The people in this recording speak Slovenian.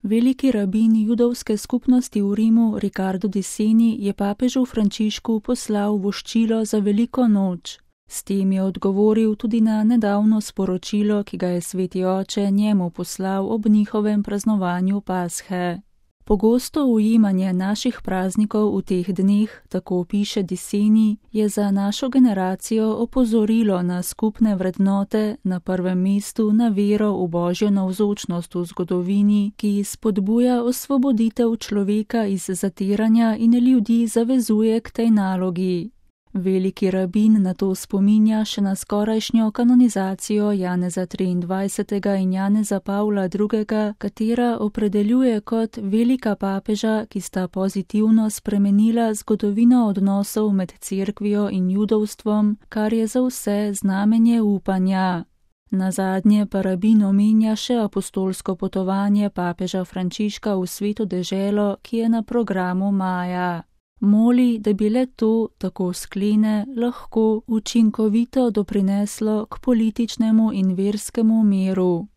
Veliki rabin judovske skupnosti v Rimu Riccardo Di Seni je papežu Frančišku poslal voščilo za veliko noč. S tem je odgovoril tudi na nedavno sporočilo, ki ga je Sveti oče njemu poslal ob njihovem praznovanju Pashe. Pogosto ujemanje naših praznikov v teh dneh, tako piše Di Seni, je za našo generacijo opozorilo na skupne vrednote, na prvem mestu na vero v Božjo navzočnost v zgodovini, ki spodbuja osvoboditev človeka iz zatiranja in ljudi zavezuje k tej nalogi. Veliki rabin na to spominja še na skorajšnjo kanonizacijo Janeza 23. in Janeza Pavla II., katera opredeljuje kot velika papeža, ki sta pozitivno spremenila zgodovino odnosov med cerkvijo in judovstvom, kar je za vse znamenje upanja. Nazadnje pa rabin omenja še apostolsko potovanje papeža Frančiška v Sveto deželo, ki je na programu maja. Moli, da bi le to, tako sklene, lahko učinkovito doprineslo k političnemu in verskemu miru.